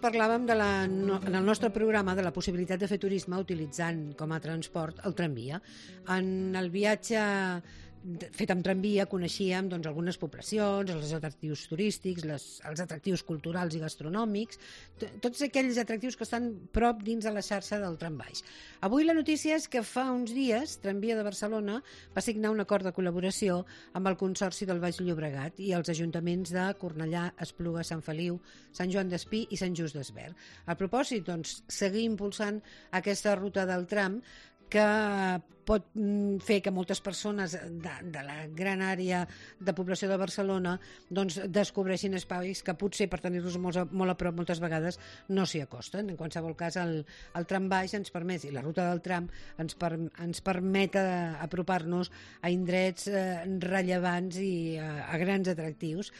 parlàvem en el nostre programa de la possibilitat de fer turisme utilitzant com a transport el tramvia. En el viatge fet amb tramvia coneixíem algunes poblacions, els atractius turístics, els atractius culturals i gastronòmics, tots aquells atractius que estan prop dins de la xarxa del trambaix. Avui la notícia és que fa uns dies Tramvia de Barcelona va signar un acord de col·laboració amb el Consorci del Baix Llobregat i els ajuntaments de Cornellà, Espluga, Sant Feliu, Sant Joan d'Espí i Sant Just Desvern. El propòsit, seguir impulsant aquesta ruta del tram que pot fer que moltes persones de la gran àrea de població de Barcelona descobreixin espais que potser per tenir-los molt a prop moltes vegades no s'hi acosten. En qualsevol cas, el trambaix ens permet, i la ruta del tram ens permet apropar-nos a indrets rellevants i a grans atractius.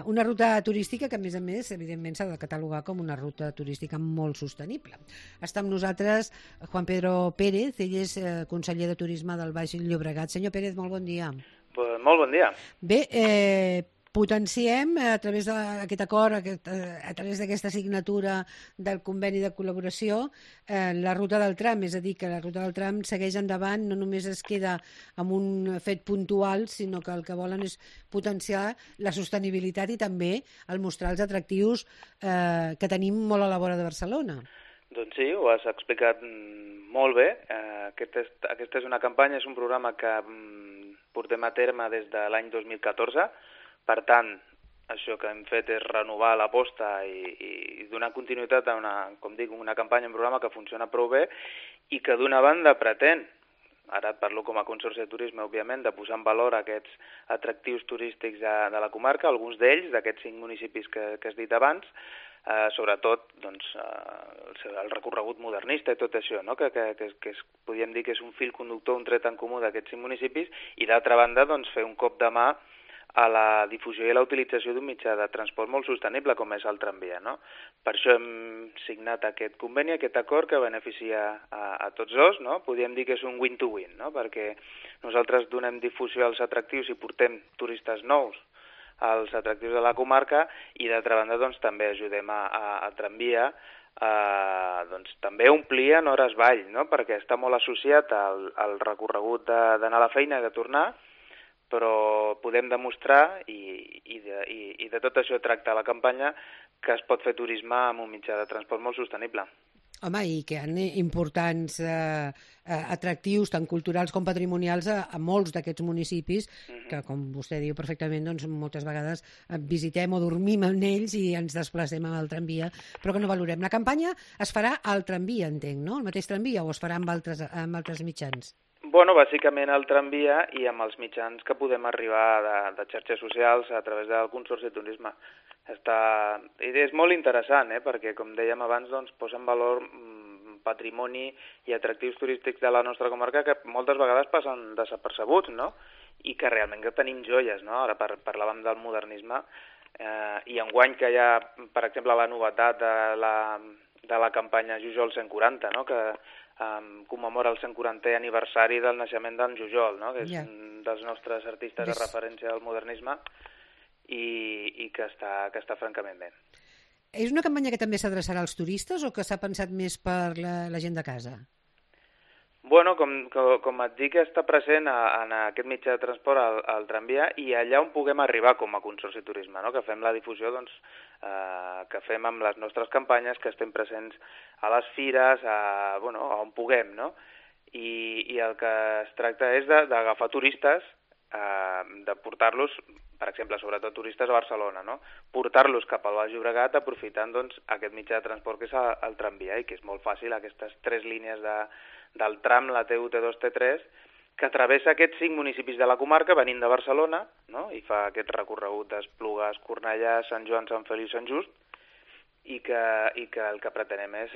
Una ruta turística que, a més, evidentment s'ha de catalogar com una ruta turística molt sostenible. Està amb nosaltres Juan Pedro Pérez, ell és conseller de Turisme del Baix Llobregat. Senyor Pérez, molt bon dia. Molt bon dia. Bé, potenciem a través d'aquest acord, a través d'aquesta signatura del conveni de col·laboració, la ruta del tram, és a dir, que la ruta del tram segueix endavant, no només es queda amb un fet puntual, sinó que el que volen és potenciar la sostenibilitat i també el mostrar els atractius que tenim molt a la vora de Barcelona. Doncs sí, ho has explicat molt bé. Aquesta és una campanya, és un programa que portem a terme des de l'any 2014. Per tant, això que hem fet és renovar l'aposta i donar continuïtat a una campanya, un programa que funciona prou bé i que d'una banda pretén, ara parlo com a Consorci de Turisme, òbviament, de posar en valor aquests atractius turístics de la comarca, alguns d'ells, d'aquests 5 municipis que has dit abans, sobretot el recorregut modernista i tot això, no? que podríem dir que és un fil conductor, un tret en comú d'aquests 5 municipis, i d'altra banda fer un cop de mà a la difusió i la utilització d'un mitjà de transport molt sostenible com és el tramvia. No? Per això hem signat aquest conveni, aquest acord que beneficia a tots dos. No? Podríem dir que és un win-to-win, no? Perquè nosaltres donem difusió als atractius i portem turistes nous als atractius de la comarca i d'altra banda també ajudem a tramvia també a omplir en hores vall, no? Perquè està molt associat al recorregut d'anar a la feina i de tornar, però podem demostrar i de tot això tracta la campanya que es pot fer turisme amb un mitjà de transport molt sostenible. Home, i que hi ha importants atractius, tant culturals com patrimonials, a molts d'aquests municipis, que, com vostè diu perfectament, moltes vegades visitem o dormim en ells i ens desplacem amb el tramvia, però que no valorem. La campanya es farà al tramvia, entenc, no? El mateix tramvia, o es farà amb altres mitjans? Bueno, bàsicament al tramvia i amb els mitjans que podem arribar de xarxes socials a través del Consorci de Turisme. És molt interessant, perquè, com dèiem abans, posa en valor patrimoni i atractius turístics de la nostra comarca que moltes vegades passen desapercebuts, no? I que realment que tenim joies, no? Ara parlàvem del modernisme i enguany que hi ha, per exemple, la novetat de la campanya Jujol 140, no? Que commemora el 140è aniversari del naixement d'en Jujol, no? Que és un dels nostres artistes de referència del modernisme i que està francament bé. És una campanya que també s'adreçarà als turistes o que s'ha pensat més per la gent de casa? Bueno, com et dic, està present en aquest mitjà de transport al tramvia i allà on puguem arribar com a Consorci de Turisme, no? Que fem la difusió que fem amb les nostres campanyes, que estem presents a les fires, on puguem, no? I el que es tracta és d'agafar turistes, de portar-los, per exemple, sobretot turistes a Barcelona, no? Portar-los cap al Baix Llobregat aprofitant aquest mitjà de transport que és el tramvia i que és molt fàcil, aquestes 3 línies del tram, la T1, T2, T3, que travessa aquests 5 municipis de la comarca venint de Barcelona, no? I fa aquest recorregut d'Esplugues, Cornellà, Sant Joan, Sant Feliu i Sant Just, i que el que pretenem és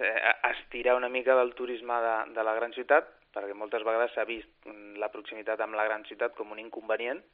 estirar una mica del turisme de la gran ciutat, perquè moltes vegades s'ha vist la proximitat amb la gran ciutat com un inconvenient,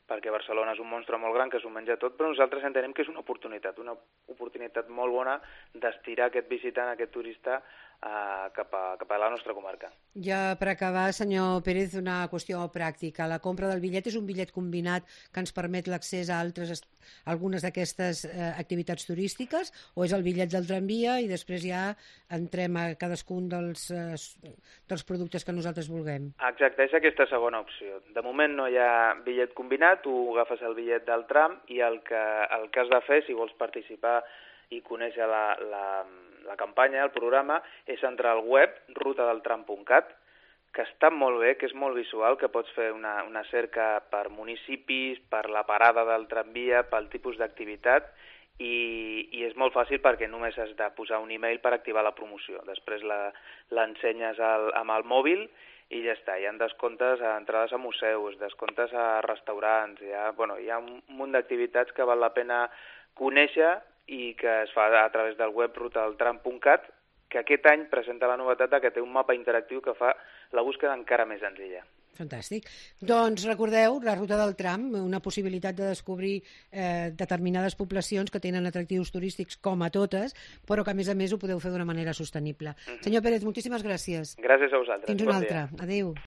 perquè Barcelona és un monstre molt gran que s'ho menja tot, però nosaltres entenem que és una oportunitat molt bona d'estirar aquest visitant, aquest turista, cap a la nostra comarca. Ja per acabar, senyor Pérez, una qüestió pràctica. La compra del bitllet és un bitllet combinat que ens permet l'accés a algunes d'aquestes activitats turístiques, o és el bitllet del tramvia i després ja entrem a cadascun dels productes que nosaltres vulguem? Exacte, és aquesta segona opció. De moment no hi ha bitllet combinat, tu agafes el bitllet del tram i el que has de fer, si vols participar i conèixer la campanya, el programa, és entrar al web rutadeltram.cat, que està molt bé, que és molt visual, que pots fer una cerca per municipis, per la parada del tramvia, pel tipus d'activitat, i és molt fàcil perquè només has de posar un email per activar la promoció. Després l'ensenyes amb el mòbil i ja està. Hi ha descomptes a entrades a museus, descomptes a restaurants, hi ha un munt d'activitats que val la pena conèixer i que es fa a través del web rutadeltram.cat, que aquest any presenta la novetat que té un mapa interactiu que fa la búsqueda encara més senzilla. Fantàstic. Doncs recordeu, la ruta del tram, una possibilitat de descobrir determinades poblacions que tenen atractius turístics com a totes, però que a més ho podeu fer d'una manera sostenible. Senyor Pérez, moltíssimes gràcies. Gràcies a vosaltres. Fins una altra. Adéu.